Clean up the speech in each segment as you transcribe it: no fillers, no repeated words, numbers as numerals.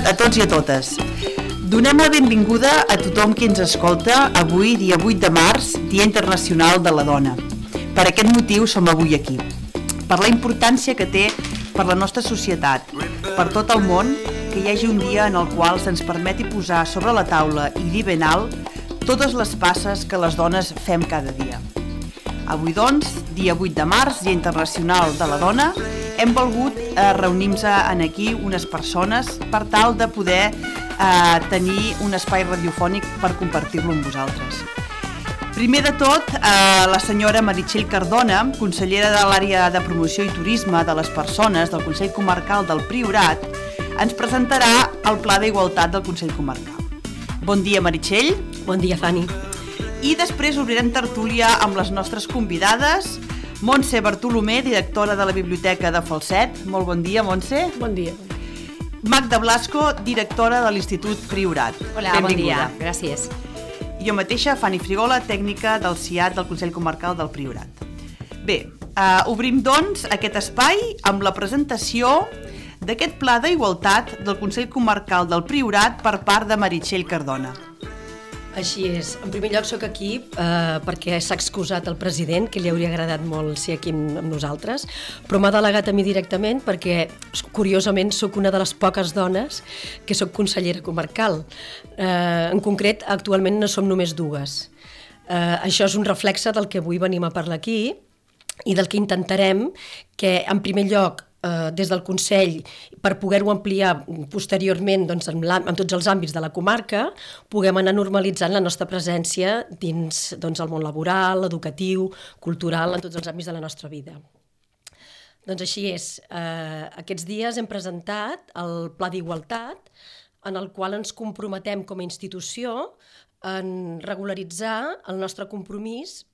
a tots i a totes. Donem la benvinguda a tothom qui ens escolta avui, dia 8 de març, Dia Internacional de la Dona. Per aquest motiu som avui aquí, per la importància que té per la nostra societat, per tot el món, que hi hagi un dia en el qual se'ns permeti posar sobre la taula i dir ben alt totes les passes que les dones fem cada dia. Avui, doncs, dia 8 de març, Dia Internacional de la Dona, hem volgut reunir-nos aquí unes persones per tal de poder tenir un espai radiofònic per compartir-lo amb vosaltres. Primer de tot, la senyora Meritxell Cardona, consellera de l'àrea de promoció i turisme de les persones del Consell Comarcal del Priorat, ens presentarà el Pla d'Igualtat del Consell Comarcal. Bon dia, Meritxell. Bon dia, Fanny. I després obrirem tertúlia amb les nostres convidades, Montse Bartolomé, directora de la Biblioteca de Falset. Molt bon dia, Montse. Bon dia. Magda Blasco, directora de l'Institut Priorat. Hola, bon dia. Gràcies. I jo mateixa, Fanny Frigola, tècnica del CIAT del Consell Comarcal del Priorat. Bé, obrim doncs aquest espai amb la presentació d'aquest Pla d'Igualtat del Consell Comarcal del Priorat per part de Meritxell Cardona. Així és. En primer lloc soc aquí perquè s'ha excusat el president, que li hauria agradat molt ser aquí amb nosaltres, però m'ha delegat a mi directament perquè, curiosament, sóc una de les poques dones que sóc consellera comarcal. En concret, actualment no som només dues. Això és un reflexe del que avui venim a parlar aquí i del que intentarem que, en primer lloc, des del Consell, per poder-ho ampliar posteriorment en tots els àmbits de la comarca, puguem anar normalitzant la nostra presència dins el món laboral, educatiu, cultural, en tots els àmbits de la nostra vida. Doncs així és. Aquests dies hem presentat el Pla d'Igualtat, en el qual ens comprometem com a institució en regularitzar el nostre compromís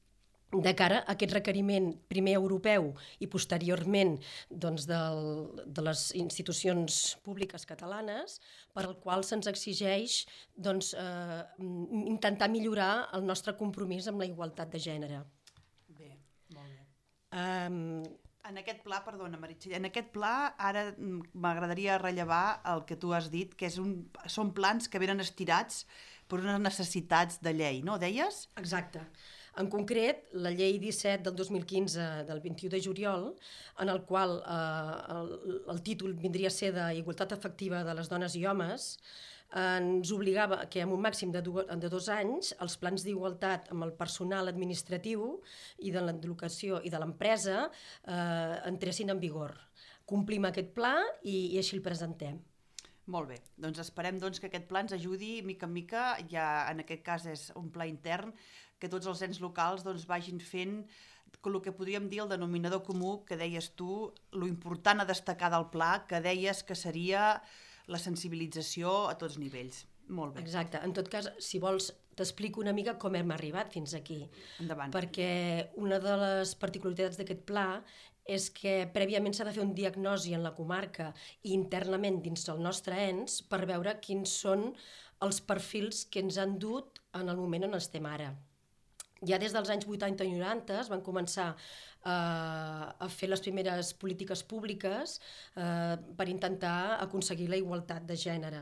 de cara a aquest requeriment primer europeu i posteriorment de les institucions públiques catalanes, per al qual se'ns exigeix intentar millorar el nostre compromís amb la igualtat de gènere. Bé, molt bé. En aquest pla, perdona Meritxell, en aquest pla ara m'agradaria rellevar el que tu has dit, que són plans que venen estirats per unes necessitats de llei, no? Deies? Exacte. En concret, la llei 17 del 2015 del 21 de juliol, en el qual el títol vindria a ser d'Igualtat efectiva de les dones i homes, ens obligava que en un màxim de 2 anys els plans d'igualtat amb el personal administratiu i de l'educació i de l'empresa entressin en vigor. Complim aquest pla i així el presentem. Molt bé, doncs esperem que aquest pla ens ajudi mica en mica, ja en aquest cas és un pla intern, que tots els ens locals vagin fent el que podríem dir el denominador comú que deies tu, lo important a destacar del pla, que deies que seria la sensibilització a tots nivells. Molt bé. Exacte. En tot cas, si vols, t'explico una mica com hem arribat fins aquí. Endavant. Perquè una de les particularitats d'aquest pla és que prèviament s'ha de fer un diagnosi en la comarca i internament dins del nostre ens per veure quins són els perfils que ens han dut en el moment on estem ara. Ja des dels anys 80 i 90 es van començar a fer les primeres polítiques públiques per intentar aconseguir la igualtat de gènere.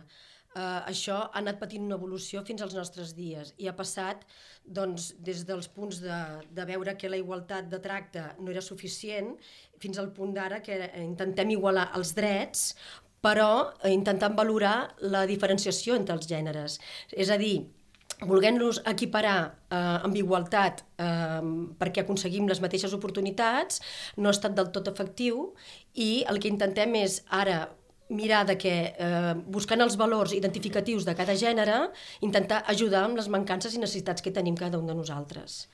Això ha anat patint una evolució fins als nostres dies i ha passat des dels punts de veure que la igualtat de tracte no era suficient fins al punt d'ara que intentem igualar els drets però intentant valorar la diferenciació entre els gèneres. És a dir, volent-los equiparar amb igualtat perquè aconseguim les mateixes oportunitats no ha estat del tot efectiu i el que intentem és ara mirar que, buscant els valors identificatius de cada gènere, intentar ajudar amb les mancances i necessitats que tenim cada un de nosaltres.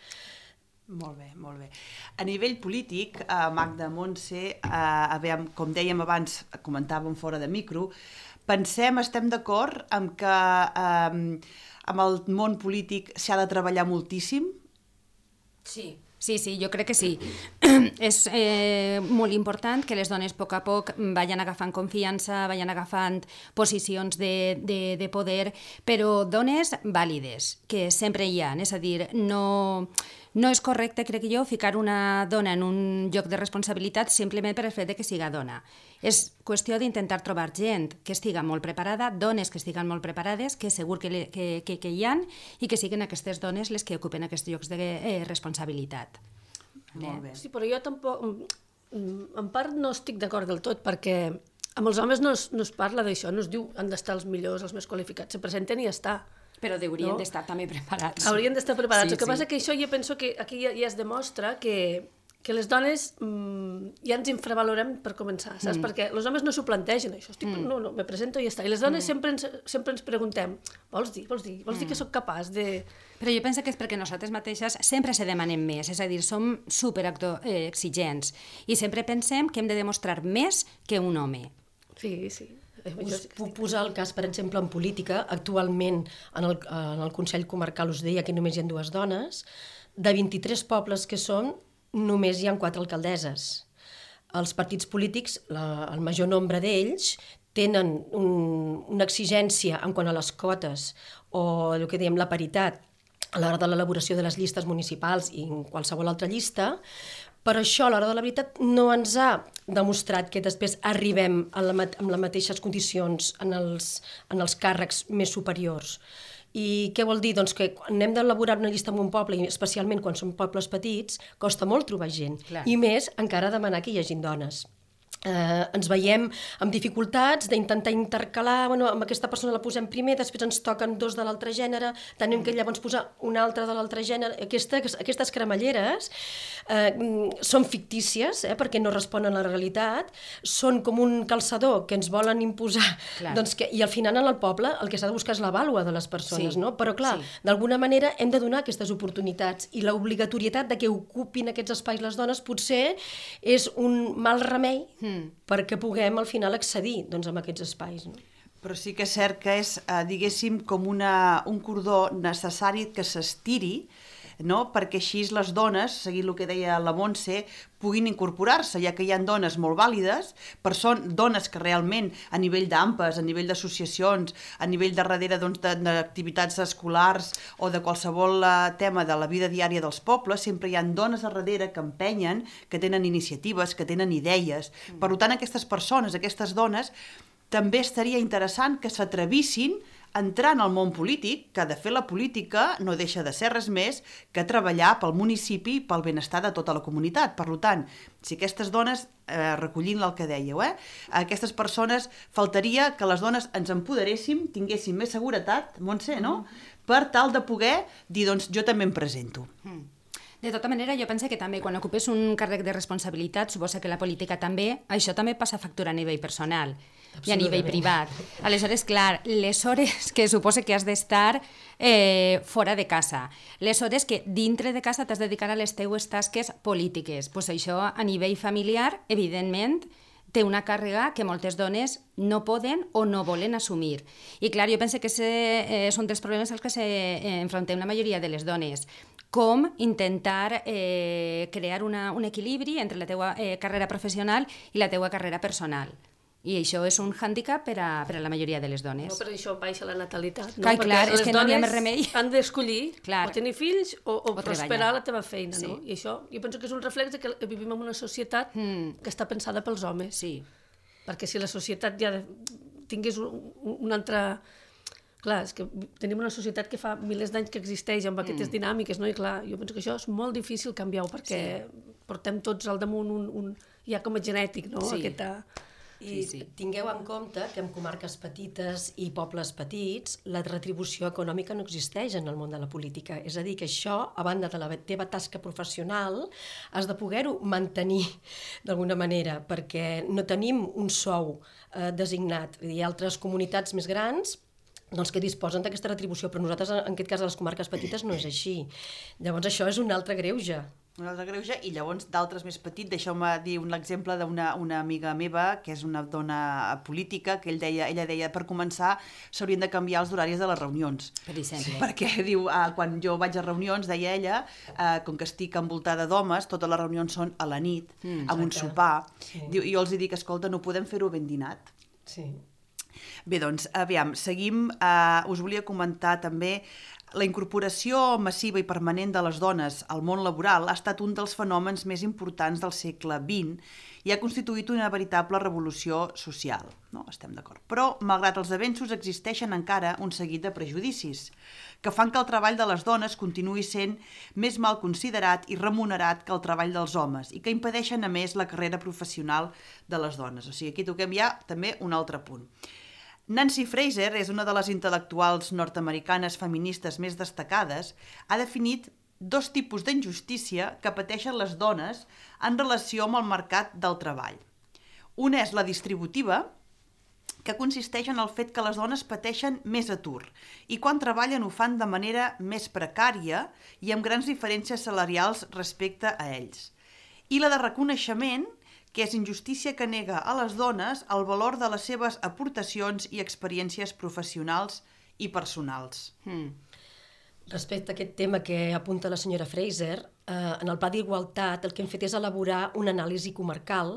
Molt bé, molt bé. A nivell polític, Magda, Montse, com dèiem abans, comentàvem fora de micro, estem d'acord amb que amb el món polític s'ha de treballar moltíssim? Sí, jo crec que sí. És molt important que les dones a poc vagin agafant confiança, vagin agafant posicions de poder, però dones vàlides, que sempre hi ha, és a dir, no no és correcte, crec jo, ficar una dona en un lloc de responsabilitat simplement per el fet que siga dona. És qüestió d'intentar trobar gent que estiga molt preparada, dones que estiguen molt preparades, que segur que hi ha, i que siguin aquestes dones les que ocupen aquests llocs de responsabilitat. Molt bé. Sí, però jo tampoc... En part no estic d'acord del tot, perquè amb els homes no es parla d'això, no es diu han d'estar els millors, els més qualificats, se presenten i ja està. Però haurien d'estar també preparats. Haurien d'estar preparats. El que passa que això jo penso que aquí ja es demostra que les dones ja ens infravalorem per començar, saps? Perquè els homes no s'ho plantegen, això. No, me presento i ja està. I les dones sempre ens preguntem, vols dir que sóc capaç de... Però jo penso que és perquè nosaltres mateixes sempre se demanem més, és a dir, som superexigents i sempre pensem que hem de demostrar més que un home. Sí. Us puc posar el cas, per exemple, en política. Actualment, en el Consell Comarcal us deia que només hi ha 2 dones. De 23 pobles que són, només hi ha 4 alcaldesses. Els partits polítics, el major nombre d'ells, tenen una exigència en quant a les quotes o el que diem la paritat a l'hora de l'elaboració de les llistes municipals i en qualsevol altra llista, però això, a l'hora de la veritat, no ens ha demostrat que després arribem amb les mateixes condicions en els càrrecs més superiors. I què vol dir? Doncs que quan hem d'elaborar una llista en un poble, i especialment quan són pobles petits, costa molt trobar gent. Clar. I més encara demanar que hi hagin dones. Ens veiem amb dificultats d'intentar intercalar, amb aquesta persona la posem primer, després ens toquen 2 de l'altre gènere, tenim que llavors posar una altra de l'altre gènere. Aquestes cremalleres són fictícies, perquè no responen a la realitat, són com un calçador que ens volen imposar, i al final en el poble el que s'ha de buscar és la vàlua de les persones, no? Però clar, d'alguna manera hem de donar aquestes oportunitats i l'obligatorietat de que ocupin aquests espais les dones potser és un mal remei perquè puguem al final accedir a aquests espais. No? Però sí que és cert que és, diguéssim, com un cordó necessari que s'estiri, no? Perquè així les dones, seguint el que deia la Montse, puguin incorporar-se, ja que hi ha dones molt vàlides, però són dones que realment a nivell d'AMPAs, a nivell d'associacions, a nivell de darrere d'activitats escolars o de qualsevol tema de la vida diària dels pobles, sempre hi ha dones a darrere que empenyen, que tenen iniciatives, que tenen idees. Per tant, aquestes persones, aquestes dones, també estaria interessant que s'atrevissin a entrar en el món polític, que de fer la política no deixa de ser res més que treballar pel municipi i pel benestar de tota la comunitat. Per tant, si aquestes dones, recollint el que dèieu, aquestes persones, faltaria que les dones ens empoderéssim, tinguéssim més seguretat, Montse, no? Per tal de poder dir, doncs, jo també em presento. De tota manera, jo penso que també quan ocupes un càrrec de responsabilitat, suposa que la política també, això també passa factura a nivell personal i a nivell privat. Aleshores, clar, les hores que suposa que has d'estar fora de casa, les hores que dintre de casa t'has de dedicar a les teues tasques polítiques, doncs això a nivell familiar, evidentment, té una càrrega que moltes dones no poden o no volen assumir. I clar, jo penso que és un dels problemes als que s'enfrontem la majoria de les dones. Com intentar crear un equilibri entre la teua carrera professional i la teua carrera personal. I això és un hàndicap per a la majoria de les dones. No, per això baixa la natalitat. No? Clar, és que no hi ha més remei. Han d'escollir o tenir fills o prosperar la teva feina. No? I això jo penso que és un reflex que vivim en una societat que està pensada pels homes. Sí. Perquè si la societat ja tingués un altre... Clar, és que tenim una societat que fa milers d'anys que existeix amb aquestes dinàmiques, no? I clar, jo penso que això és molt difícil canviar-ho perquè portem tots al damunt ja com a genètic, no? Sí. I tingueu en compte que en comarques petites i pobles petits la retribució econòmica no existeix en el món de la política. És a dir, que això, a banda de la teva tasca professional, has de poder-ho mantenir d'alguna manera, perquè no tenim un sou designat. Hi ha altres comunitats més grans que disposen d'aquesta retribució, però nosaltres, en aquest cas, a les comarques petites, no és així. Llavors, això és un altre greuge. Un altre greuge, i llavors d'altres més petits, deixeu-me dir un exemple d'una amiga meva, que és una dona política, que ella deia, per començar, s'haurien de canviar els horaris de les reunions. Per exemple. Perquè, diu, quan jo vaig a reunions, deia ella, com que estic envoltada d'homes, totes les reunions són a la nit, amb un sopar. Diu, i jo els dic, escolta, no podem fer-ho ben dinat. Sí. Bé, doncs, aviam, seguim. Us volia comentar també la incorporació massiva i permanent de les dones al món laboral ha estat un dels fenòmens més importants del segle XX i ha constituït una veritable revolució social. No? Estem d'acord. Però, malgrat els avenços, existeixen encara un seguit de prejudicis que fan que el treball de les dones continuï sent més mal considerat i remunerat que el treball dels homes i que impedeixen, a més, la carrera professional de les dones. O sigui, aquí toquem ja també un altre punt. Nancy Fraser és una de les intel·lectuals nord-americanes feministes més destacades. Ha definit 2 tipus d'injustícia que pateixen les dones en relació amb el mercat del treball. Una és la distributiva, que consisteix en el fet que les dones pateixen més atur i quan treballen ho fan de manera més precària i amb grans diferències salarials respecte a ells. I la de reconeixement, que és injustícia que nega a les dones el valor de les seves aportacions i experiències professionals i personals. Respecte a aquest tema que apunta la senyora Fraser, en el Pla d'Igualtat el que hem fet és elaborar una anàlisi comarcal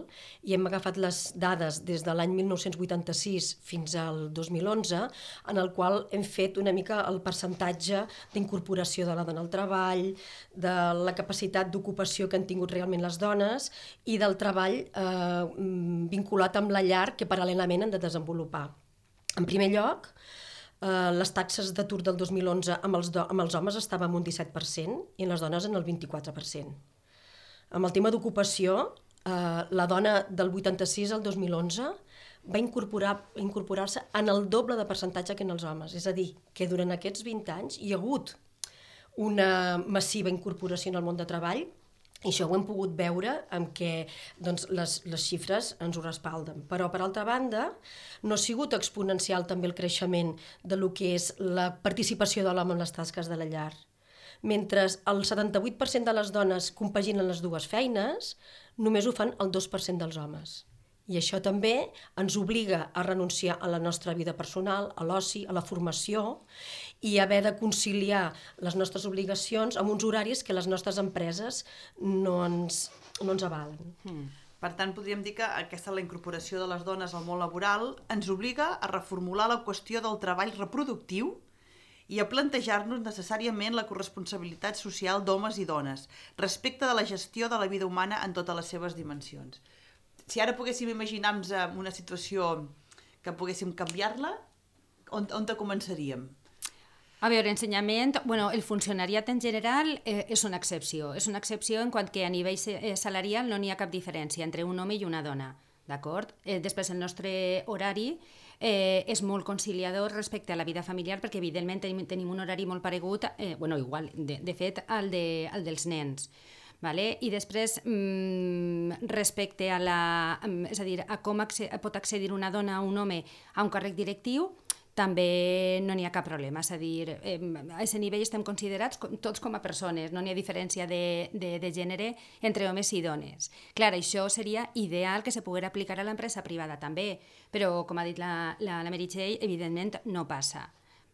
i hem agafat les dades des de l'any 1986 fins al 2011, en el qual hem fet una mica el percentatge d'incorporació de la dona al treball, de la capacitat d'ocupació que han tingut realment les dones i del treball vinculat amb la llar que paral·lelament han de desenvolupar. En primer lloc, les taxes d'atur del 2011 amb els homes estaven en un 17% i en les dones en el 24%. Amb el tema d'ocupació, la dona del 86 al 2011 va incorporar-se en el doble de percentatge que en els homes. És a dir, que durant aquests 20 anys hi ha hagut una massiva incorporació en el món de treball. I això ho hem pogut veure amb què doncs, les xifres ens ho respalden. Però, per altra banda, no ha sigut exponencial també el creixement de lo que és la participació de l'home en les tasques de la llar. Mentre el 78% de les dones compaginen les dues feines, només ho fan el 2% dels homes. I això també ens obliga a renunciar a la nostra vida personal, a l'oci, a la formació i haver de conciliar les nostres obligacions amb uns horaris que les nostres empreses no ens avalen. Per tant, podríem dir que aquesta la incorporació de les dones al món laboral ens obliga a reformular la qüestió del treball reproductiu i a plantejar-nos necessàriament la corresponsabilitat social d'homes i dones respecte de la gestió de la vida humana en totes les seves dimensions. Si ara poguéssim imaginar-nos una situació que poguéssim canviar-la, on començaríem? A veure, ensenyament, el funcionariat en general és una excepció. És una excepció en quant que a nivell salarial no n'hi ha cap diferència entre un home i una dona, d'acord? Després el nostre horari és molt conciliador respecte a la vida familiar perquè evidentment tenim un horari molt paregut, igual, de fet, al dels nens. Vale? I després, respecte a com pot accedir una dona o un home a un càrrec directiu, també no n'hi ha cap problema. És a dir, a aquest nivell estem considerats tots com a persones, no n'hi ha diferència de gènere entre homes i dones. Clar, això seria ideal que se pogués aplicar a l'empresa privada també, però, com ha dit la Meritxell, evidentment no passa.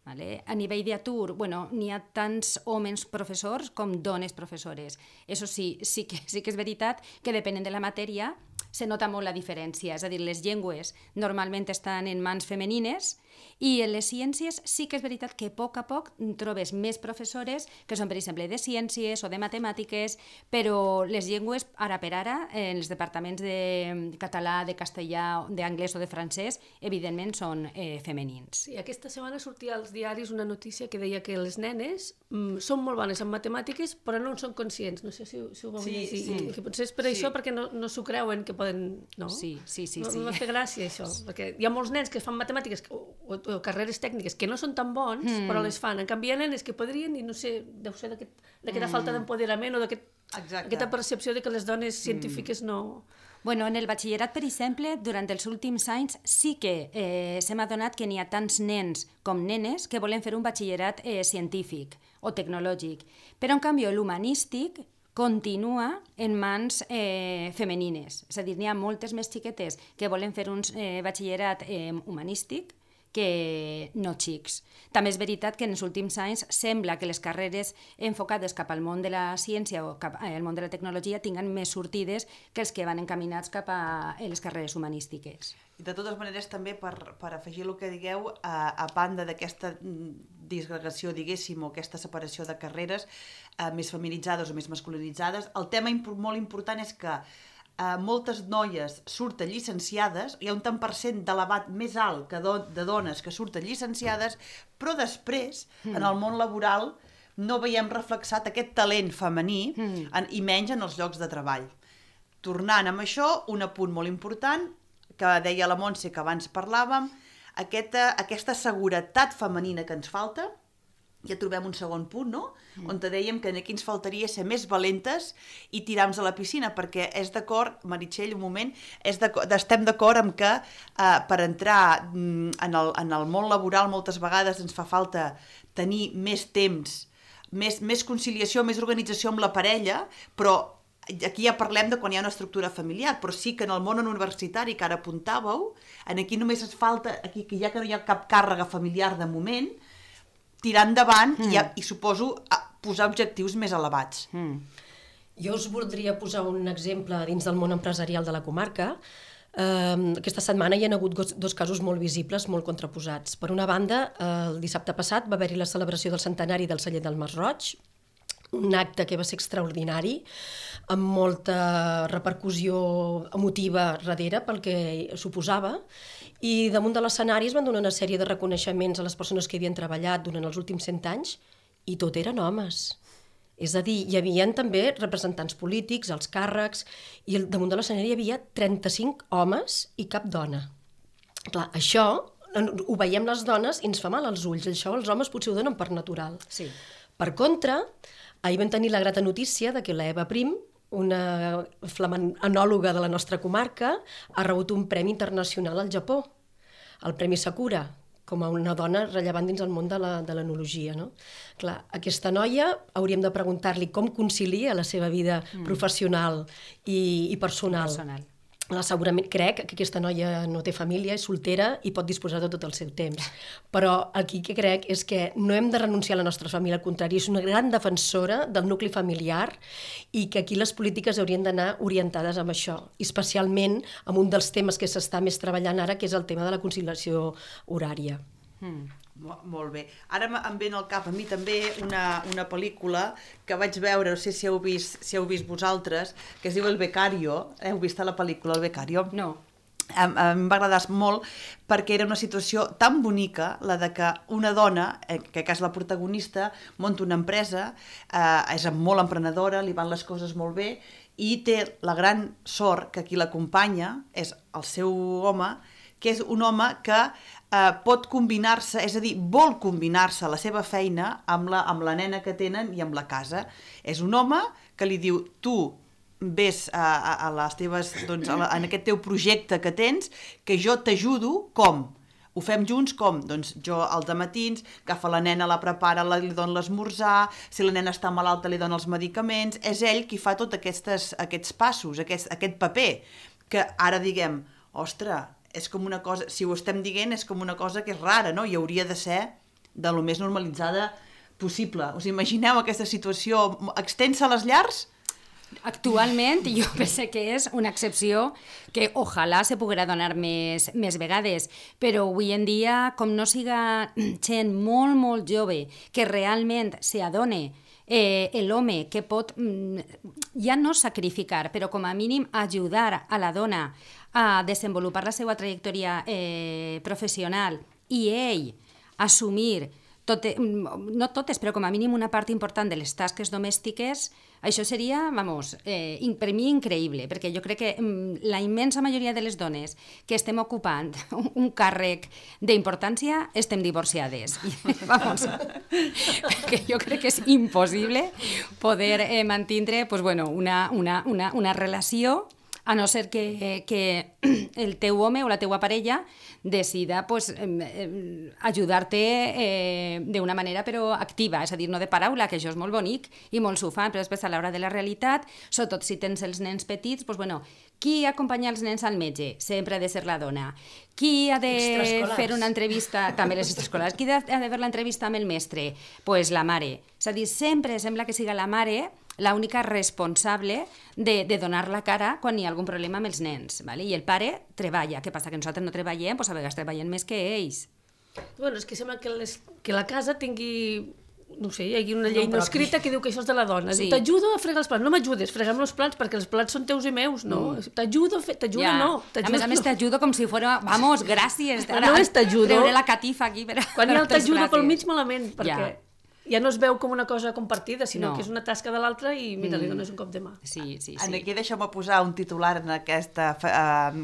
Vale? A nivell d'atur, n'hi ha tants homes professors com dones professores. Això sí que és veritat que depenent de la matèria se nota molt la diferència. És a dir, les llengües normalment estan en mans femenines i en les ciències sí que és veritat que a poc trobes més professores que són, per exemple, de ciències o de matemàtiques, però les llengües, ara per ara, en els departaments de català, de castellà, d'anglès o de francès, evidentment són femenins. Sí, aquesta setmana sortia als diaris una notícia que deia que les nenes són molt bones en matemàtiques però no en són conscients. No sé si ho vau llegir. Sí. Que potser és per això perquè no s'ho creuen que poden... No? Sí. No m'ha fet gràcia això, perquè hi ha molts nens que fan matemàtiques o carreres tècniques que no són tan bons, però les fan. En canvi, hi ha nenes que podrien, i no sé, deu ser d'aquesta falta d'empoderament o d'aquesta percepció de que les dones científiques no... En el batxillerat, per exemple, durant els últims anys sí que s'hem adonat que n'hi ha tants nens com nenes que volen fer un batxillerat científic o tecnològic. Però, en canvi, l'humanístic continua en mans femenines. És a dir, n'hi ha moltes més xiquetes que volen fer un batxillerat humanístic que no xics. També és veritat que en els últims anys sembla que les carreres enfocades cap al món de la ciència o cap al món de la tecnologia tinguen més sortides que els que van encaminats cap a les carreres humanístiques. I de totes maneres, també, per afegir el que digueu, a banda d'aquesta disgregació, diguéssim, o aquesta separació de carreres més feminitzades o més masculinitzades, el tema molt important és que moltes noies surten llicenciades, hi ha un tant per cent d'elevat més alt que de dones que surten llicenciades, però després, en el món laboral, no veiem reflexat aquest talent femení i menys en els llocs de treball. Tornant amb això, un apunt molt important, que deia la Montse, que abans parlàvem, aquesta seguretat femenina que ens falta, ja trobem un segon punt, no? On te dèiem que aquí ens faltaria ser més valentes i tirar-nos a la piscina, perquè és d'acord, Meritxell, un moment, estem d'acord amb que per entrar en el món laboral moltes vegades ens fa falta tenir més temps, més conciliació, més organització amb la parella, però aquí ja parlem de quan hi ha una estructura familiar, però sí que en el món universitari que ara apuntàveu, aquí només ens falta, aquí que ja que no hi ha cap càrrega familiar de moment, tirar endavant i suposo posar objectius més elevats. Jo us voldria posar un exemple dins del món empresarial de la comarca. Aquesta setmana hi ha hagut dos casos molt visibles, molt contraposats. Per una banda, el dissabte passat va haver-hi la celebració del centenari del celler del Masroig, un acte que va ser extraordinari, amb molta repercussió emotiva darrere pel que suposava, i damunt de l'escenari es van donar una sèrie de reconeixements a les persones que havien treballat durant els últims 100 anys, i tot eren homes. És a dir, hi havia també representants polítics, els càrrecs, i damunt de l'escenari hi havia 35 homes i cap dona. Clar, això ho veiem les dones i ens fa mal als ulls, això els homes potser ho donen per natural. Sí. Per contra, ahir vam tenir la grata notícia de que la Eva Prim, una flamant enòloga de la nostra comarca, ha rebut un premi internacional al Japó, el Premi Sakura, com a una dona rellevant dins el món de l'enologia. No? Clar, aquesta noia hauríem de preguntar-li com concilia la seva vida professional i personal. Segurament crec que aquesta noia no té família, és soltera i pot disposar de tot el seu temps. Però aquí que crec és que no hem de renunciar a la nostra família, al contrari, és una gran defensora del nucli familiar i que aquí les polítiques haurien d'anar orientades amb això, especialment amb un dels temes que s'està més treballant ara, que és el tema de la conciliació horària. Molt bé. Ara em ve al cap a mi també una pel·lícula que vaig veure, no sé si heu vist vosaltres, que es diu El Becario. Heu vist la pel·lícula El Becario? No. Em va agradar molt perquè era una situació tan bonica, la de que una dona, que és la protagonista, munta una empresa, és molt emprenedora, li van les coses molt bé i té la gran sort que qui l'acompanya és el seu home, que és un home que pot combinar-se, és a dir, vol combinar-se la seva feina amb la nena que tenen i amb la casa. És un home que li diu, tu ves a les teves, doncs, en aquest teu projecte que tens, que jo t'ajudo, com? Ho fem junts, com? Doncs jo als dematins agafa la nena, la prepara, li dona l'esmorzar, si la nena està malalta li dona els medicaments, és ell qui fa tots aquests passos, aquest paper, que ara diguem, ostres, és com una cosa, si ho estem dient, és com una cosa que és rara, no? I hauria de ser de lo més normalitzada possible. Us imagineu aquesta situació extensa a les llars? Actualment jo penso que és una excepció que ojalà se poguera donar més vegades, però avui en dia, com no siga gent molt, molt jove que realment s'adone l'home que pot ja no sacrificar, però com a mínim ajudar a la dona a desenvolupar la seva trajectòria professional i ell assumir no totes, però com a mínim una part important de les tasques domèstiques, això seria, per mi increïble, perquè jo crec que la immensa majoria de les dones que estem ocupant un càrrec d'importància estem divorciades. Perquè jo crec que és impossible poder mantindre una relació a no ser que el teu home o la teua parella decida ajudar-te d'una manera però activa, és a dir, no de paraula, que això és molt bonic i molt s'ho fan, però després a l'hora de la realitat, sobretot si tens els nens petits, qui acompanya els nens al metge? Sempre ha de ser la dona. Qui ha de fer una entrevista? També les extraescolars. Qui ha de fer l'entrevista amb el mestre? Doncs la mare. És a dir, sempre sembla que siga la mare l'única responsable de donar la cara quan hi ha algun problema amb els nens. I el pare treballa. Què passa? Que nosaltres no treballem? Doncs a vegades treballem més que ells. És que sembla que la casa tingui... No sé, hi ha una llei no escrita que diu que això és de la dona. T'ajudo a fregar els plats. No m'ajudes, frega'm els plats perquè els plats són teus i meus, no? T'ajudo, no. A més a més t'ajudo com si fos, vamos, gràcies. No és t'ajudo. Treure la catifa aquí per... Quan hi ha el t'ajudo pel mig malament, perquè ja no es veu com una cosa compartida, sinó que és una tasca de l'altre i mira, li dones un cop de mà. Sí. Aquí deixeu-me posar un titular en aquest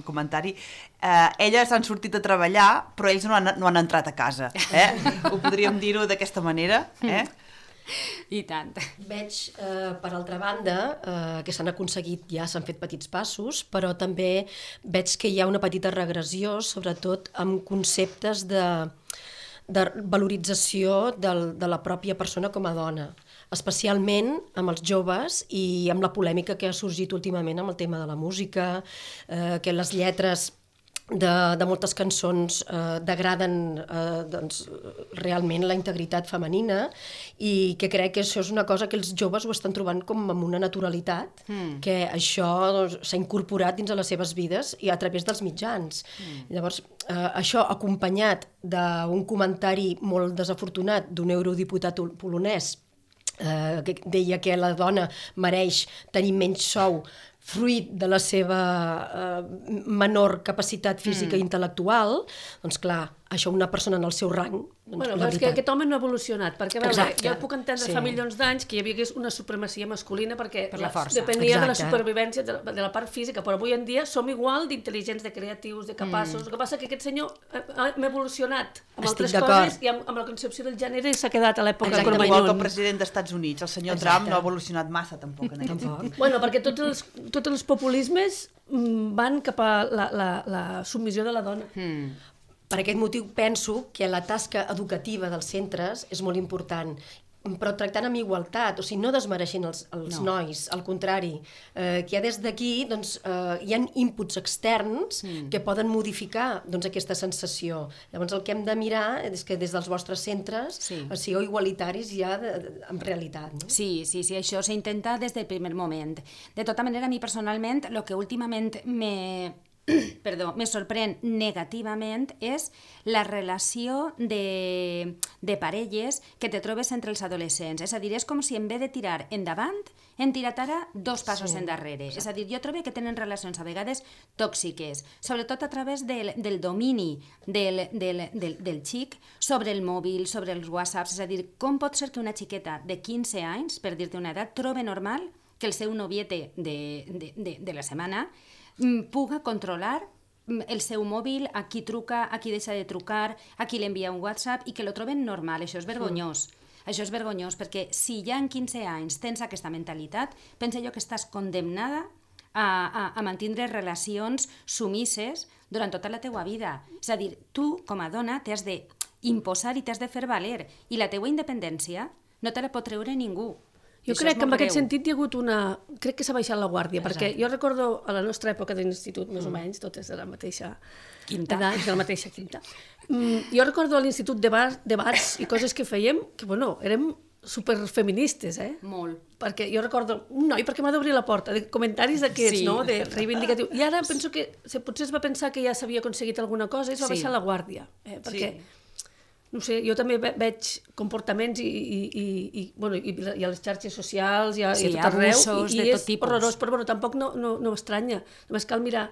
comentari. Elles han sortit a treballar, però ells no han entrat a casa. Ho podríem dir-ho d'aquesta manera. I tant. Veig, per altra banda, que s'han fet petits passos, però també veig que hi ha una petita regressió, sobretot amb conceptes de valorització de la pròpia persona com a dona, especialment amb els joves i amb la polèmica que ha sorgit últimament amb el tema de la música, que les lletres de moltes cançons degraden realment la integritat femenina i que crec que això és una cosa que els joves ho estan trobant com amb una naturalitat, que això s'ha incorporat dins de les seves vides i a través dels mitjans. Llavors, això acompanyat d'un comentari molt desafortunat d'un eurodiputat polonès que deia que la dona mereix tenir menys sou fruit de la seva menor capacitat física i intel·lectual, doncs clar, això una persona en el seu rang... Bueno, però és que aquest home no ha evolucionat, perquè a veure, jo puc entendre fa milions d'anys que hi havia una supremacia masculina perquè depenia de la supervivència de la part física, però avui en dia som igual d'intel·ligents, de creatius, de capaços. El que passa que aquest senyor ha evolucionat amb altres coses i amb la concepció del gènere s'ha quedat a l'època Cromañón. Igual que el president dels Estats Units, el senyor Trump no ha evolucionat massa tampoc en aquest sentit. Bueno, perquè tots els populismes van cap a la submissió de la dona. Per aquest motiu penso que la tasca educativa dels centres és molt important, però tractant amb igualtat, o sigui, no desmereixent els nois, al contrari, que ja des d'aquí hi ha inputs externs que poden modificar aquesta sensació. Llavors el que hem de mirar és que des dels vostres centres sigueu igualitaris ja en realitat. Sí, això s'intenta des del primer moment. De tota manera, a mi personalment, el que últimament me sorprèn negativament és la relació de parelles que te trobes entre els adolescents. És a dir, és com si en vez de tirar endavant, hem tirat ara 2 passos endarrere. És a dir, jo trobo que tenen relacions a vegades tòxiques, sobretot a través del domini del xic sobre el mòbil, sobre els whatsapps. És a dir, com pot ser que una xiqueta de 15 anys, per dir-te una edat, trobe normal que el seu noviete de la setmana puga controlar el seu mòbil, a qui truca, a qui deixa de trucar, a qui li envia un WhatsApp i que lo troben normal. Això és vergonyós. Això és vergonyós perquè si ja en 15 anys tens aquesta mentalitat, penso jo que estàs condemnada a mantindre relacions sumises durant tota la teua vida. És a dir, tu com a dona t'has d'imposar i t'has de fer valer i la teua independència no te la pot treure ningú. Jo crec que en aquest sentit hi ha hagut una... Crec que s'ha baixat la guàrdia, perquè jo recordo a la nostra època d'institut, més o menys, totes de la mateixa edat, de la mateixa quinta. Jo recordo a l'institut debats i coses que fèiem, que, bueno, érem superfeministes, Molt. Perquè jo recordo un noi, perquè m'ha d'obrir la porta, de comentaris d'aquests, no?, de reivindicatiu. I ara penso que potser es va pensar que ja s'havia aconseguit alguna cosa i es va baixar la guàrdia, perquè... No sé, jo també veig comportaments i a les xarxes socials i a tot arreu, i és horrorós, però tampoc no estranya. Només cal mirar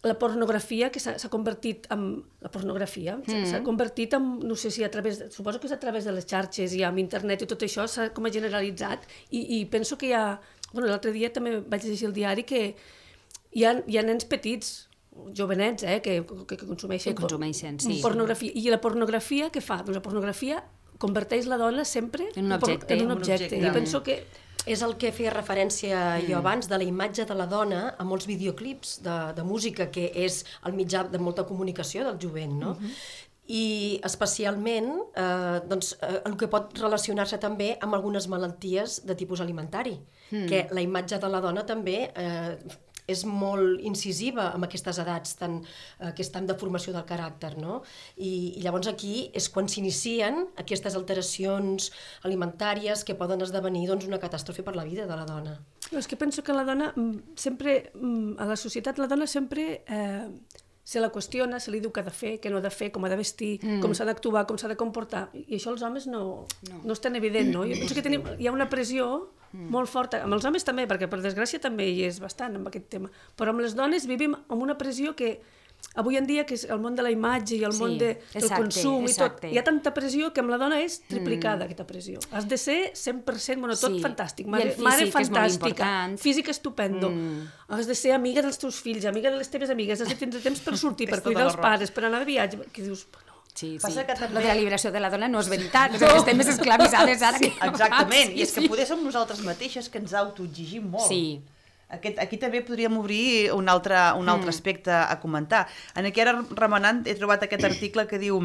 la pornografia, que s'ha convertit en... La pornografia s'ha convertit en, no sé si a través... Suposo que és a través de les xarxes i amb internet i tot això s'ha com a generalitzat i penso que hi ha... Bueno, l'altre dia també vaig llegir el diari que hi ha nens petits, jovenets, que consumeixen pornografia. I la pornografia què fa? Doncs la pornografia converteix la dona sempre en un objecte. I penso que És el que feia referència jo abans de la imatge de la dona a molts videoclips de música, que és el mitjà de molta comunicació del jovent, no? I especialment el que pot relacionar-se també amb algunes malalties de tipus alimentari, que la imatge de la dona també és molt incisiva amb aquestes edats que estan de formació del caràcter, no? I llavors aquí és quan s'inicien aquestes alteracions alimentàries que poden esdevenir una catàstrofe per la vida de la dona. És que penso que la dona sempre, a la societat la dona sempre se la qüestiona, se li diu què ha de fer, què no ha de fer, com ha de vestir, com s'ha d'actuar, com s'ha de comportar, i això els homes no és tan evident, no? Jo penso que hi ha una pressió molt forta, amb els homes també, perquè per desgràcia també hi és bastant amb aquest tema, però amb les dones vivim amb una pressió que avui en dia, que és el món de la imatge i el món del consum i tot, hi ha tanta pressió que amb la dona és triplicada aquesta pressió. Has de ser 100%, tot fantàstic, mare fantàstica, físic estupendo, has de ser amiga dels teus fills, amiga de les teves amigues, has de tindre temps per sortir, per cuidar els pares, per anar de viatge, que dius, Sí. Lo de la liberació de la dona no és veritat, estem més esclavitzades ara. Exactament, i és que poder som nosaltres mateixes que ens autoexigim molt. Sí. Aquí també podríem obrir un altre aspecte a comentar. En aquí ara remenant he trobat aquest article que diu: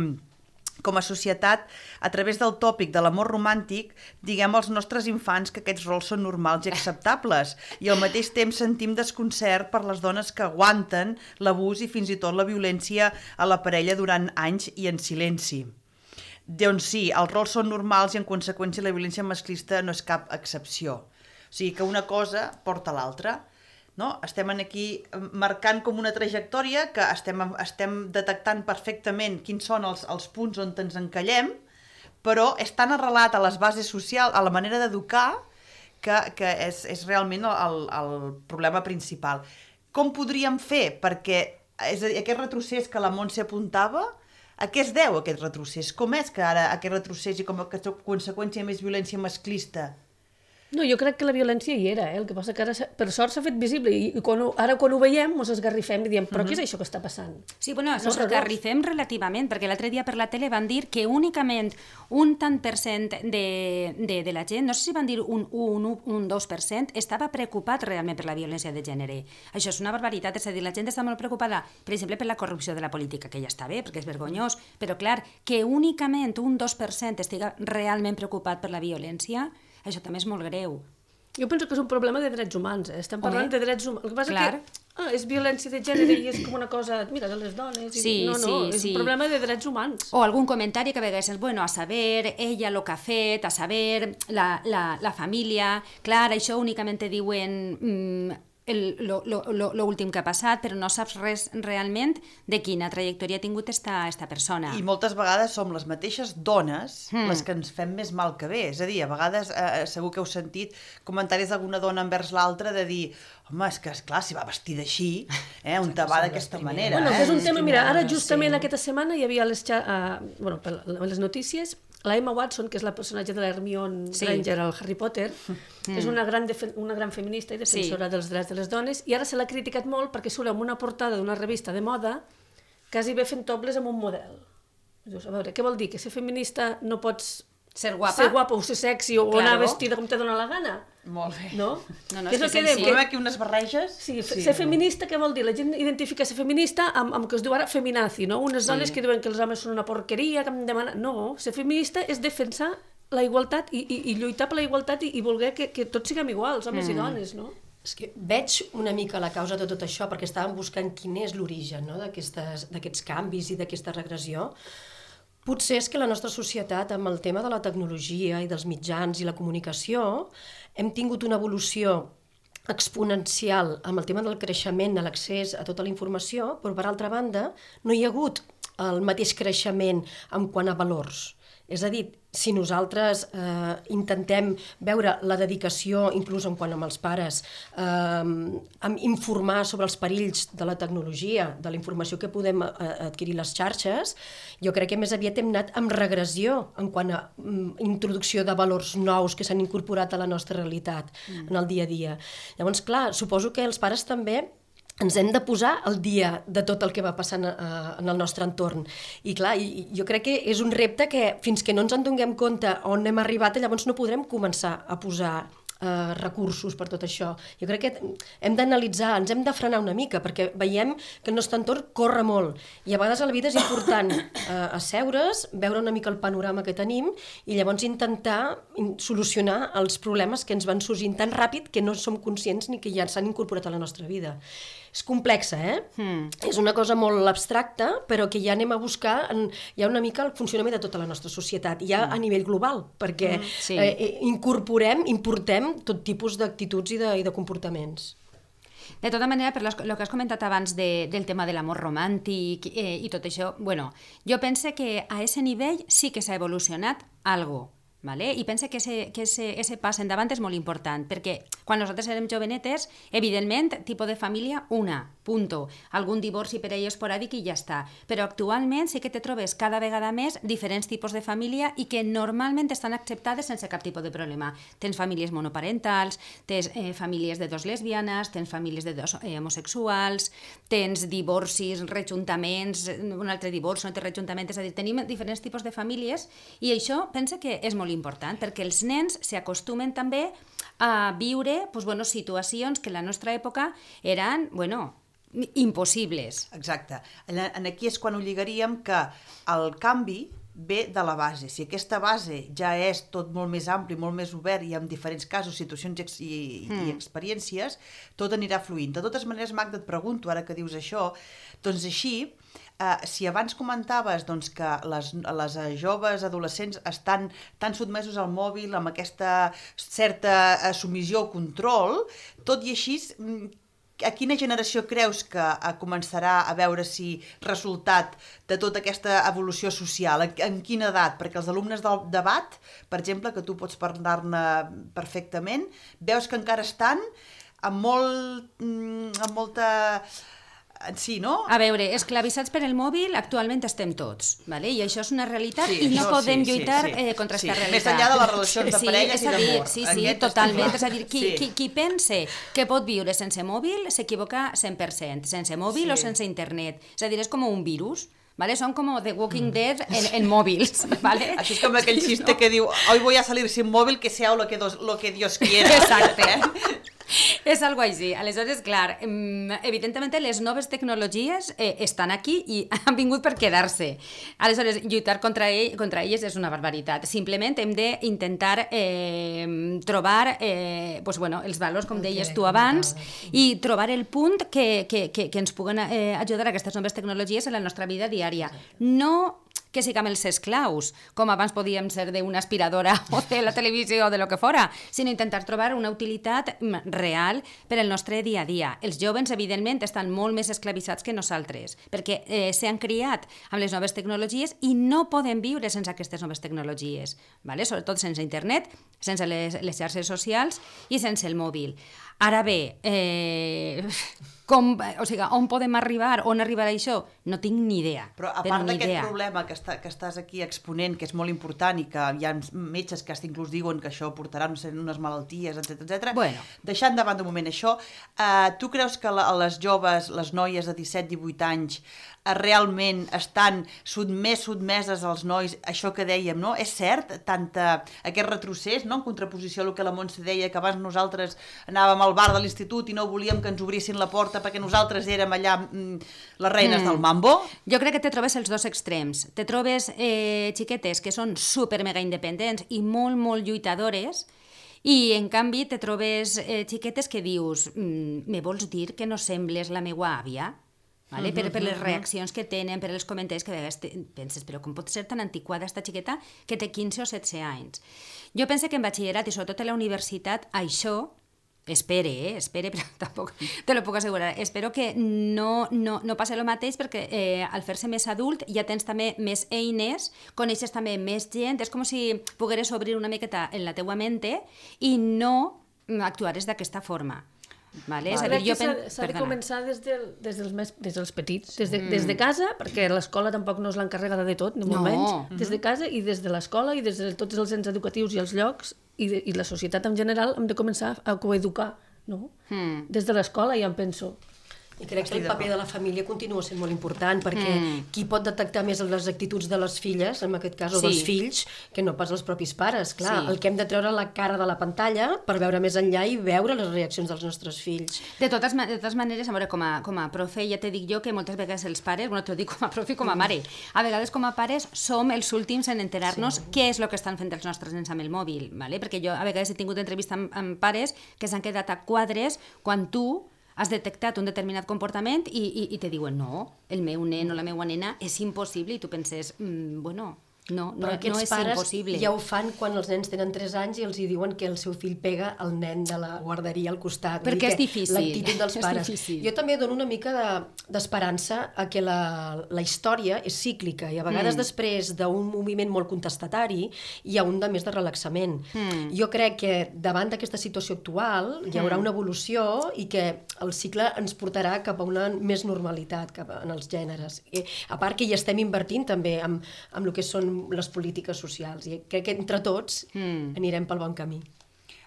com a societat, a través del tòpic de l'amor romàntic, diguem als nostres infants que aquests rols són normals i acceptables, i al mateix temps sentim desconcert per les dones que aguanten l'abús i fins i tot la violència a la parella durant anys i en silenci. Doncs sí, els rols són normals i en conseqüència la violència masclista no és cap excepció. O sigui que una cosa porta a l'altra. No? Estem aquí marcant com una trajectòria que estem detectant perfectament quins són els punts on ens encallem, però és tan arrelat a les bases socials, a la manera d'educar, que és realment el problema principal. Com podríem fer? Perquè aquest retrocés que la Montse apuntava, a què es deu aquest retrocés? Com és que ara aquest retrocés i com a conseqüència més violència masclista? No, jo crec que la violència hi era, el que passa que ara per sort s'ha fet visible i ara quan ho veiem ens esgarrifem i diem, però què és això que està passant? Sí, bueno, ens esgarrifem relativament, perquè l'altre dia per la tele van dir que únicament un tant per cent de la gent, no sé si van dir un 2%, estava preocupat realment per la violència de gènere. Això és una barbaritat, és a dir, la gent està molt preocupada, per exemple, per la corrupció de la política, que ja està bé, perquè és vergonyós, però clar, que únicament un 2% estiga realment preocupat per la violència, això també és molt greu. Jo penso que és un problema de drets humans, estem parlant de drets humans. El que passa que és violència de gènere i és com una cosa, mira, de les dones. No, és un problema de drets humans. O algun comentari que a vegades és, bueno, a saber ella el que ha fet, a saber la família. Clar, això únicament te diuen l'últim que ha passat, però no saps res realment de quina trajectòria ha tingut esta persona. I moltes vegades som les mateixes dones les que ens fem més mal que bé. És a dir, a vegades segur que heu sentit comentaris d'alguna dona envers l'altra de dir, home, és que esclar, si va vestida així, on te va d'aquesta manera. Bueno, és un tema, mira, ara justament aquesta setmana hi havia les notícies, la Emma Watson, que és la personatge de l'Hermione Granger al Harry Potter, és una gran feminista i defensora dels drets de les dones, i ara se l'ha criticat molt perquè surt en una portada d'una revista de moda quasi bé fent topless amb un model. Dius, a veure, què vol dir? Que ser feminista no pots ser guapa o ser sexy o anar vestida com te dona la gana? Molt bé. No? No, és que sensim aquí unes barreges. Sí, ser feminista, què vol dir? La gent identifica ser feminista amb que es diu ara feminazi, no? Unes dones que diuen que els homes són una porqueria, que em demanen... No, ser feminista és defensar la igualtat i lluitar per la igualtat i voler que tots siguem iguals, homes i dones, no? És que veig una mica la causa de tot això perquè estàvem buscant quin és l'origen d'aquests canvis i d'aquesta regressió. Potser és que la nostra societat, amb el tema de la tecnologia i dels mitjans i la comunicació, hem tingut una evolució exponencial amb el tema del creixement, de l'accés a tota la informació, però per altra banda no hi ha hagut el mateix creixement en quant a valors. És a dir, si nosaltres intentem veure la dedicació, inclús en quant amb els pares, informar sobre els perills de la tecnologia, de la informació que podem adquirir les xarxes, jo crec que més aviat hem anat amb regressió en quant a introducció de valors nous que s'han incorporat a la nostra realitat en el dia a dia. Llavors, clar, suposo que els pares també ens hem de posar al dia de tot el que va passant en el nostre entorn. I clar, jo crec que és un repte que fins que no ens en donem compte on hem arribat, llavors no podrem començar a posar recursos per tot això. Jo crec que hem d'analitzar, ens hem de frenar una mica, perquè veiem que el nostre entorn corre molt, i a vegades a la vida és important asseure's, veure una mica el panorama que tenim, i llavors intentar solucionar els problemes que ens van sorgint tan ràpid que no som conscients ni que ja s'han incorporat a la nostra vida. És complexa, És una cosa molt abstracta, però que ja anem a buscar ja una mica el funcionament de tota la nostra societat, ja a nivell global, perquè importem tot tipus d'actituds i de comportaments. De tota manera, per el que has comentat abans del tema de l'amor romàntic i tot això, bueno, jo penso que a ese nivell sí que s'ha evolucionat algo. Vale? I penso que ese pas endavant és molt important, perquè quan nosaltres érem jovenetes, evidentment, tipus de família, punto. Algun divorci per ell esporàdic i ja està. Però actualment sí que te trobes cada vegada més diferents tipus de família i que normalment estan acceptades sense cap tipus de problema. Tens famílies monoparentals, tens famílies de dos lesbianes, tens famílies de dos homosexuals, tens divorcis, rejuntaments, un altre divorci, un altre rejuntament, és a dir, tenim diferents tipus de famílies i això penso que és molt important, perquè els nens s'acostumen també a viure situacions que en la nostra època eren, impossibles. Exacte. Aquí és quan ho lligaríem que el canvi ve de la base. Si aquesta base ja és tot molt més ampli, molt més obert i amb diferents casos, situacions i experiències, tot anirà fluint. De totes maneres, Magda, et pregunto, ara que dius això, doncs així, si abans comentaves que les joves adolescents estan tan sotmesos al mòbil amb aquesta certa submissió o control, tot i així, a quina generació creus que començarà a veure si resultat de tota aquesta evolució social? En quina edat? Perquè els alumnes del debat, per exemple, que tu pots parlar-ne perfectament, veus que encara estan amb molta... Sí, no? A veure, esclavissats per el mòbil actualment estem tots, vale? I això és una realitat i no podem lluitar contra aquesta realitat. Més enllà de les relacions de parelles i d'amor. Sí, totalment. És a dir, qui pense que pot viure sense mòbil s'equivoca 100%, sense mòbil o sense internet. És a dir, és com un virus. ¿Vale? Son como The Walking Dead en móviles, ¿vale? Això és com aquell xiste que diu hoy voy a salir sin móvil, que sea lo que Dios quiera. Exacte. És algo així. Aleshores, clar, evidentment les noves tecnologies estan aquí i han vingut per quedar-se. Aleshores, lluitar contra elles és una barbaritat. Simplement hem d'intentar trobar els valors, com deies tu abans, i trobar el punt que ens puguen ajudar a aquestes noves tecnologies en la nostra vida diària. No que siguem els esclaus, com abans podíem ser d'una aspiradora o de la televisió o de lo que fora, sinó intentar trobar una utilitat real per al nostre dia a dia. Els joves, evidentment, estan molt més esclavitzats que nosaltres, perquè s'han criat amb les noves tecnologies i no poden viure sense aquestes noves tecnologies, ¿vale? Sobretot sense internet, sense les xarxes socials i sense el mòbil. Ara bé, on podem arribar, on arribarà això? No tinc ni idea. Però a part d'aquest problema que estàs aquí exponent, que és molt important i que hi ha metges que inclús diuen que això portarà unes malalties, etc. Bueno. Deixant davant de moment això, tu creus que les joves, les noies de 17-18 anys, realment estan més sotmeses als nois, això que dèiem, no? És cert, aquest retrocés, no? En contraposició a el que la Montse deia, que abans nosaltres anàvem al bar de l'institut i no volíem que ens obrissin la porta perquè nosaltres érem allà les reines del mambo? Jo crec que te trobes els dos extrems. Te trobes xiquetes que són super mega independents i molt, molt lluitadores, i en canvi te trobes xiquetes que dius me vols dir que no sembles la meua àvia? Vale? Per les reaccions que tenen, per els comentaris que a vegades penses, però com pot ser tan antiquada esta xiqueta que té 15 o 16 anys? Jo penso que en batxillerat i sobretot a la universitat això, espere, però tampoc te lo puc assegurar, espero que no passi el mateix, perquè al fer-se més adult ja tens també més eines, coneixes també més gent, és com si pogueres obrir una miqueta en la teua mente i no actuares d'aquesta forma. Vale? Crec que s'ha de començar des dels petits, des de casa, perquè l'escola tampoc no és l'encarregada de tot, ni molt menys, des de casa i des de l'escola i des de tots els ens educatius i els llocs i la societat en general hem de començar a coeducar, no? Des de l'escola ja em penso. I crec que el paper de la família continua sent molt important, perquè qui pot detectar més les actituds de les filles, en aquest cas, o dels fills, que no pas els propis pares. Clar, el que hem de treure la cara de la pantalla per veure més enllà i veure les reaccions dels nostres fills. De totes maneres, a veure, com a profe, ja te dic jo que moltes vegades els pares, bueno, t'ho dic com a profe i com a mare, a vegades com a pares som els últims en enterar-nos què és el que estan fent els nostres nens amb el mòbil, ¿vale? Perquè jo a vegades he tingut entrevista amb pares que s'han quedat a quadres quan tu has detectat un determinat comportament i te diuen no, el meu nen o la meva nena és impossible i tu penses, bueno, no és impossible. Ja ho fan quan els nens tenen 3 anys i els diuen que el seu fill pega el nen de la guarderia al costat. Perquè és difícil. L'actitud dels pares. Jo també dono una mica d'esperança a que la història és cíclica i a vegades després d'un moviment molt contestatari hi ha un de més de relaxament. Jo crec que davant d'aquesta situació actual hi haurà una evolució i que el cicle ens portarà cap a una més normalitat en els gèneres. A part que hi estem invertint també amb el que són les polítiques socials i crec que entre tots anirem pel bon camí.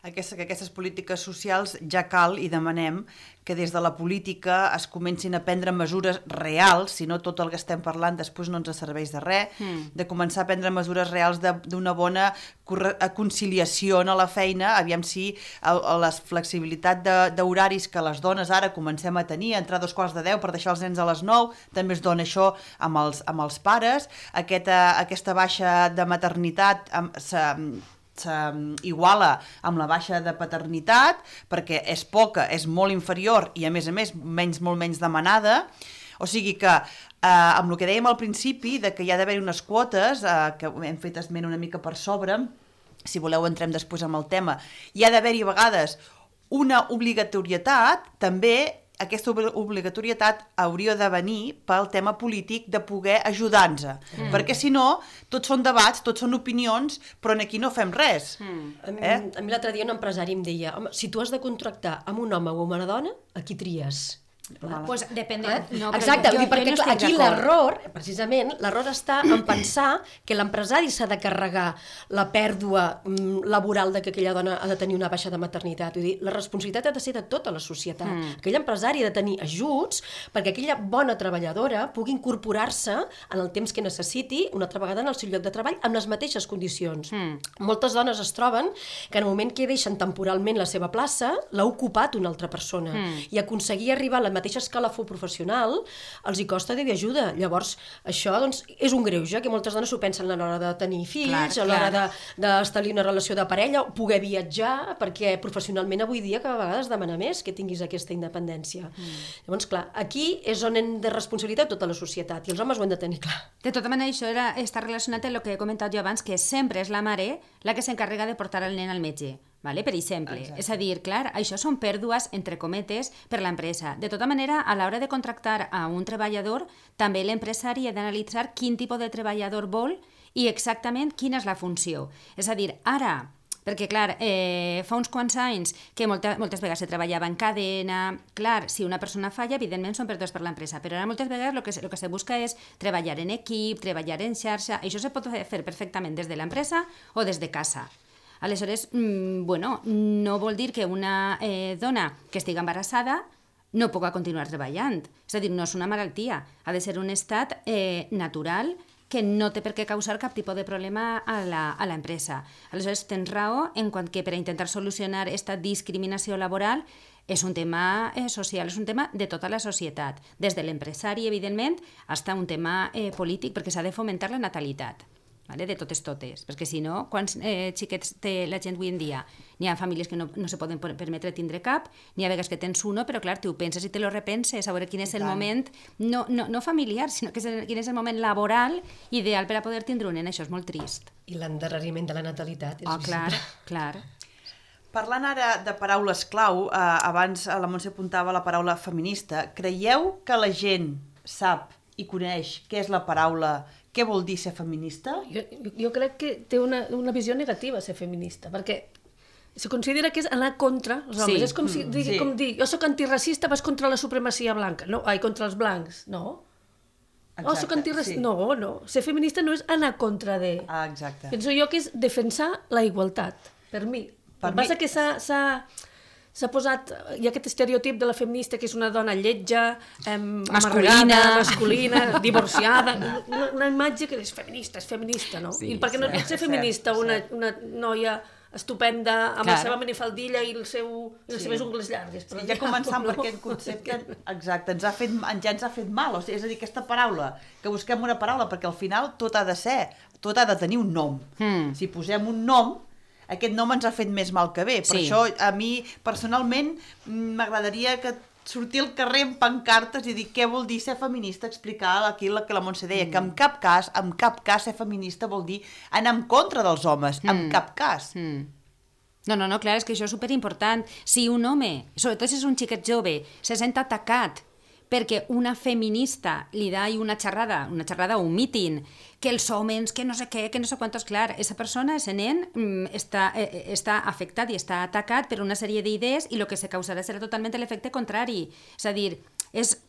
Aquestes polítiques socials ja cal i demanem que des de la política es comencin a prendre mesures reals, si no tot el que estem parlant després no ens serveix de res, de començar a prendre mesures reals d'una bona conciliació a la feina, aviam si la flexibilitat d'horaris que les dones ara comencem a tenir, entrar a 2:15 per deixar els nens a les 9, també es dona això amb els pares, aquesta baixa de maternitat s'iguala amb la baixa de paternitat perquè és poca, és molt inferior i a més molt menys demanada, o sigui que amb el que dèiem al principi de que hi ha d'haver unes quotes que hem fet esment una mica per sobre, si voleu entrem després amb el tema, hi ha d'haver-hi a vegades una obligatorietat també. Aquesta obligatorietat hauria de venir pel tema polític de poder ajudar-nos, perquè si no, tots són debats, tots són opinions, però aquí no fem res. A mi l'altre dia un empresari em deia, home, si tu has de contractar amb un home o una dona, a qui tries? Pues depèn de... Exacte, perquè aquí l'error, precisament, l'error està en pensar que l'empresari s'ha de carregar la pèrdua laboral de que aquella dona ha de tenir una baixa de maternitat. Vull dir, la responsabilitat ha de ser de tota la societat. Aquell empresari ha de tenir ajuts perquè aquella bona treballadora pugui incorporar-se en el temps que necessiti una altra vegada en el seu lloc de treball amb les mateixes condicions. Moltes dones es troben que en el moment que deixen temporalment la seva plaça l'ha ocupat una altra persona i aconseguir arribar a la mateixa escalafó professional els hi costa Déu i ajuda. Llavors, això doncs, és un greuge, que moltes dones ho pensen a l'hora de tenir fills, a l'hora d'establir una relació de parella, poder viatjar, perquè professionalment avui dia cada vegada es demana més que tinguis aquesta independència. Llavors, clar, aquí és on hem de responsabilitat tota la societat, i els homes ho hem de tenir clar. De tota manera, això està relacionat amb el que he comentat jo abans, que sempre és la mare la que s'encarrega de portar el nen al metge. Vale? Per exemple, és a dir, clar, això són pèrdues, entre cometes, per l'empresa. De tota manera, a l'hora de contractar a un treballador, també l'empresari ha d'analitzar quin tipus de treballador vol i exactament quina és la funció. És a dir, ara, perquè, clar, fa uns quants anys que moltes vegades se treballava en cadena, clar, si una persona falla, evidentment són pèrdues per l'empresa, però ara moltes vegades el que se busca és treballar en equip, treballar en xarxa, això se pot fer perfectament des de l'empresa o des de casa. Aleshores, bueno, no vol dir que una dona que estigui embarassada no pugui continuar treballant. És a dir, no és una malaltia, ha de ser un estat natural que no té per què causar cap tipus de problema a l'empresa. Aleshores, tens raó en quant que per a intentar solucionar aquesta discriminació laboral és un tema social, és un tema de tota la societat, des de l'empresari, evidentment, fins a un tema polític, perquè s'ha de fomentar la natalitat. De totes, perquè si no, quants xiquets té la gent avui en dia? N'hi ha famílies que no se poden permetre tindre cap, n'hi ha vegades que tens uno, però clar, tu ho penses i te lo repenses, a veure quin és el moment, no familiar, sinó quin és el moment laboral ideal per a poder tindre un nen, això és molt trist. I l'endarreriment de la natalitat és visible. Clar. Parlant ara de paraules clau, abans la Montse apuntava la paraula feminista, creieu que la gent sap i coneix què és la paraula, què vol dir ser feminista? Jo crec que té una visió negativa ser feminista, perquè se considera que és anar contra els homes. És com dir, jo soc antiracista, vas contra la supremacia blanca. Contra els blancs, no. Soc antiracista. No. Ser feminista no és anar contra de... Penso jo que és defensar la igualtat, per mi. El que passa que s'ha posat, hi ha aquest estereotip de la feminista que és una dona lletja, masculina, divorciada, una imatge que és feminista, no? I perquè no pot ser feminista una noia estupenda, amb la seva minifaldilla i les seves ungles llargues. Ja començant per aquest concepte, exacte, ja ens ha fet mal, o sigui, és a dir, aquesta paraula, que busquem una paraula, perquè al final tot ha de tenir un nom. Si posem un nom, aquest nom ens ha fet més mal que bé. Per això, a mi, personalment, m'agradaria que sortir al carrer amb pancartes i dir què vol dir ser feminista, explicar aquí el que la Montse deia, que en cap cas ser feminista vol dir anar en contra dels homes, en cap cas. No, clar, és que això és superimportant. Si un home, sobretot si és un xiquet jove, se sent atacat perquè una feminista li da una xerrada o un míting, que els homes, que no sé què, que no sé quantos, clar, aquesta persona, aquest nen, està afectat i està atacat per una sèrie d'idees i el que se causarà serà totalment l'efecte contrari. És a dir,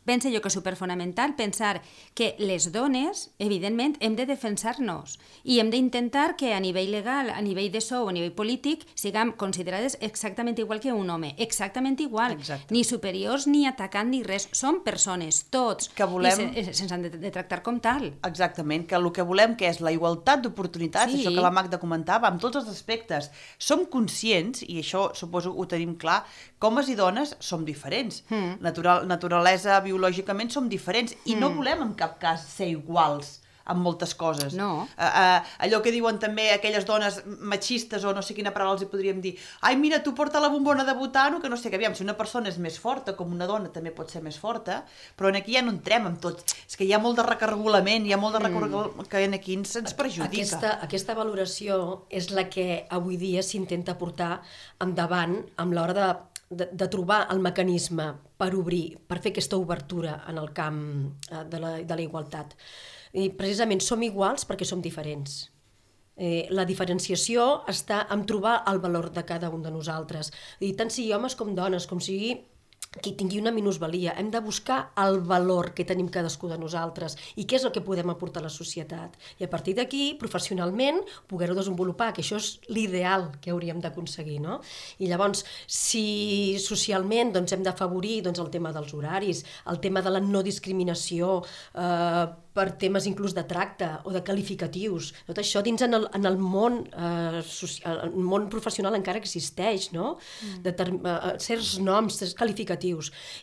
penso jo que és superfonamental pensar que les dones, evidentment, hem de defensar-nos i hem d'intentar que a nivell legal, a nivell de sou, a nivell polític, siguem considerades exactament igual que un home, exactament igual, ni superiors, ni atacant, ni res. Som persones, tots, i se'ns han de tractar com tal. Exactament, que el que volem que és la igualtat d'oportunitats, això que la Magda comentava, amb tots els aspectes. Som conscients, i això suposo ho tenim clar, que homes i dones som diferents. Naturalesa, biològicament som diferents i no volem en cap cas ser iguals amb moltes coses. No. Allò que diuen també aquelles dones machistes o no sé quina paraula els hi podríem dir, ai mira, tu porta la bombona de butano, que no sé què, aviam, si una persona és més forta, com una dona també pot ser més forta, però aquí ja no entrem amb tot. És que hi ha molt de recargolament, hi ha molt de recargolament que aquí ens perjudica. Aquesta valoració és la que avui dia s'intenta portar endavant amb l'hora de trobar el mecanisme per obrir, per fer aquesta obertura en el camp de la igualtat. I precisament som iguals perquè som diferents. La diferenciació està en trobar el valor de cada un de nosaltres. I tant sigui homes com dones, com sigui qui tingui una minusvalia, hem de buscar el valor que tenim cadascú de nosaltres i què és el que podem aportar a la societat. I a partir d'aquí, professionalment, poder-ho desenvolupar, que això és l'ideal que hauríem d'aconseguir, no? I llavors, si socialment hem d'afavorir el tema dels horaris, el tema de la no discriminació, per temes inclús de tracte o de qualificatius. Tot això dins en el món professional encara existeix, no? Certs noms, certs qualificatius.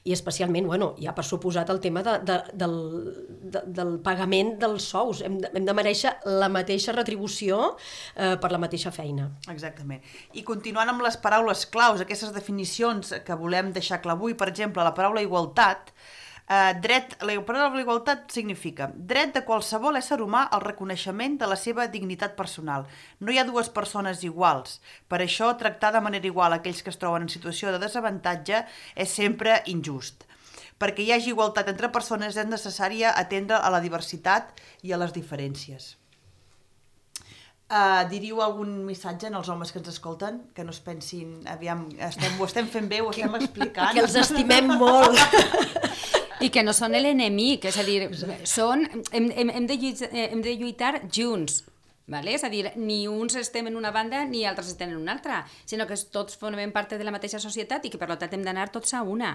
I especialment, ja per suposat el tema del pagament dels sous. Hem de mereixer la mateixa retribució per la mateixa feina. Exactament. I continuant amb les paraules claus, aquestes definicions que volem deixar clar avui, per exemple, la paraula igualtat, la paraula igualtat significa dret de qualsevol ésser humà al reconeixement de la seva dignitat personal. No hi ha dues persones iguals. Per això, tractar de manera igual aquells que es troben en situació de desavantatge és sempre injust. Perquè hi hagi igualtat entre persones és necessària atendre a la diversitat i a les diferències. Diríeu algun missatge als homes que ens escolten? Que no es pensin, aviam, ho estem fent bé, ho estem explicant. Que els estimem molt. I que no són l'enemic, és a dir, hem de lluitar junts, vale? És a dir, ni uns estem en una banda ni altres estem en una altra, sinó que tots formem part de la mateixa societat i que per tant hem d'anar tots a una,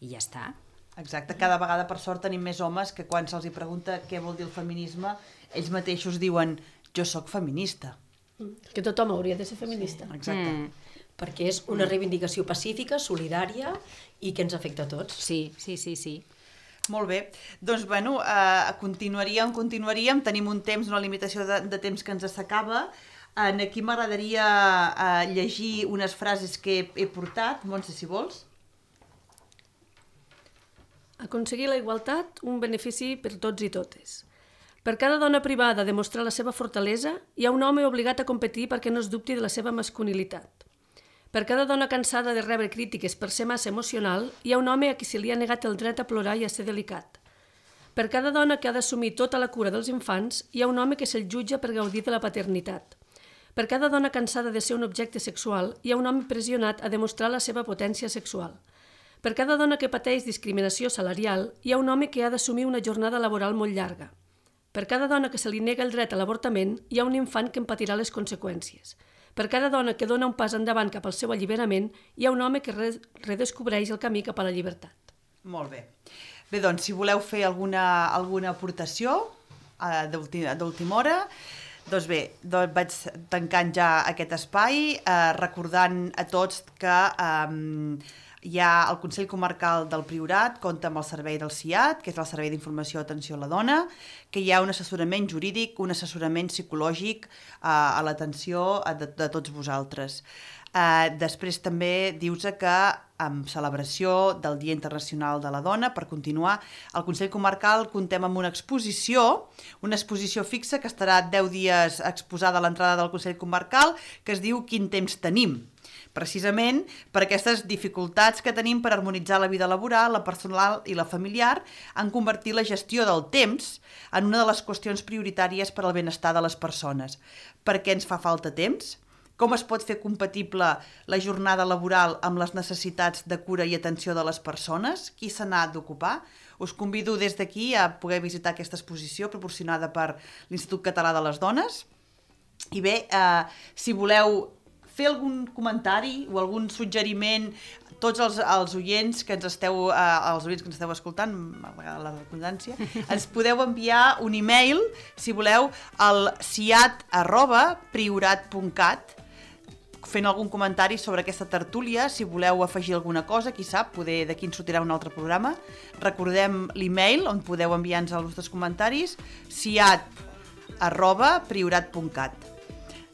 i ja està. Exacte, cada vegada per sort tenim més homes que quan se'ls pregunta què vol dir el feminisme, ells mateixos diuen jo sóc feminista. Que tothom hauria de ser feminista. Exacte. Perquè és una reivindicació pacífica, solidària i que ens afecta a tots. Sí. Molt bé, doncs continuaríem, tenim un temps, una limitació de temps que ens s'acaba. Aquí m'agradaria llegir unes frases que he portat, Montse, si vols. Aconseguir la igualtat, un benefici per tots i totes. Per cada dona privada de mostrar la seva fortalesa, hi ha un home obligat a competir perquè no es dubti de la seva masculinitat. Per cada dona cansada de rebre crítiques per ser massa emocional, hi ha un home a qui se li ha negat el dret a plorar i a ser delicat. Per cada dona que ha d'assumir tota la cura dels infants, hi ha un home que se'l jutja per gaudir de la paternitat. Per cada dona cansada de ser un objecte sexual, hi ha un home pressionat a demostrar la seva potència sexual. Per cada dona que pateix discriminació salarial, hi ha un home que ha d'assumir una jornada laboral molt llarga. Per cada dona que se li nega el dret a l'avortament, hi ha un infant que en patirà les conseqüències. Per cada dona que dona un pas endavant cap al seu alliberament, hi ha un home que redescobreix el camí cap a la llibertat. Molt bé. Bé, doncs, si voleu fer alguna aportació d'última hora, doncs bé, vaig tancant ja aquest espai, recordant a tots que hi ha el Consell Comarcal del Priorat, compta amb el servei del CIAT, que és el Servei d'Informació i Atenció a la Dona, que hi ha un assessorament jurídic, un assessorament psicològic a l'atenció de tots vosaltres. Després també dius que en celebració del Dia Internacional de la Dona, per continuar, al Consell Comarcal comptem amb una exposició fixa que estarà 10 dies exposada a l'entrada del Consell Comarcal, que es diu Quin temps tenim? Precisament per aquestes dificultats que tenim per harmonitzar la vida laboral, la personal i la familiar, en convertir la gestió del temps en una de les qüestions prioritàries per al benestar de les persones. Per què ens fa falta temps? Com es pot fer compatible la jornada laboral amb les necessitats de cura i atenció de les persones? Qui se n'ha d'ocupar? Us convido des d'aquí a poder visitar aquesta exposició proporcionada per l'Institut Català de les Dones. I bé, si voleu fer algun comentari o algun suggeriment, tots els oients que ens esteu escoltant, a la redundància, ens podeu enviar un e-mail, si voleu, al ciat@priorat.cat, fent algun comentari sobre aquesta tertúlia, si voleu afegir alguna cosa, qui sap, poder d'aquí en sortirà un altre programa. Recordem l'e-mail on podeu enviar-nos els vostres comentaris, ciat@priorat.cat.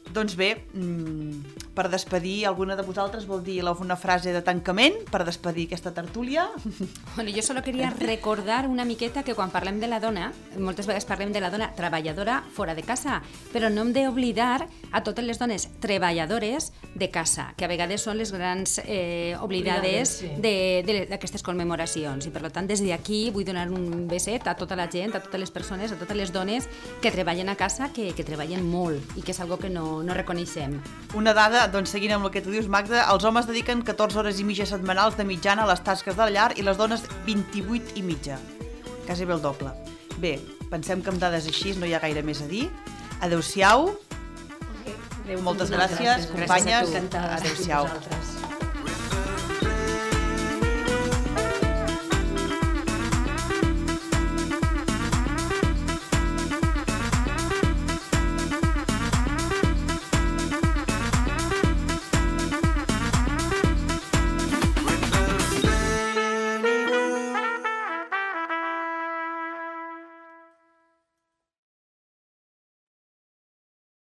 Doncs bé, per despedir, alguna de vosaltres vol dir una frase de tancament per despedir aquesta tertúlia? Bueno, jo solo quería recordar una miqueta que quan parlem de la dona, moltes vegades parlem de la dona treballadora fora de casa, però no hem d'oblidar a totes les dones treballadores de casa, que a vegades són les grans oblidades d'aquestes commemoracions. I per tant, des d'aquí vull donar un beset a tota la gent, a totes les persones, a totes les dones que treballen a casa, que treballen molt i que és algo que no reconeixem. Una dada, doncs seguint amb el que tu dius, Magda, els homes dediquen 14 hores i mitja setmanals de mitjana a les tasques de la llar i les dones 28 i mitja. Quasi bé el doble. Bé, pensem que amb dades així no hi ha gaire més a dir. Adéu-siau. Moltes gràcies, companyes. Adéu-siau.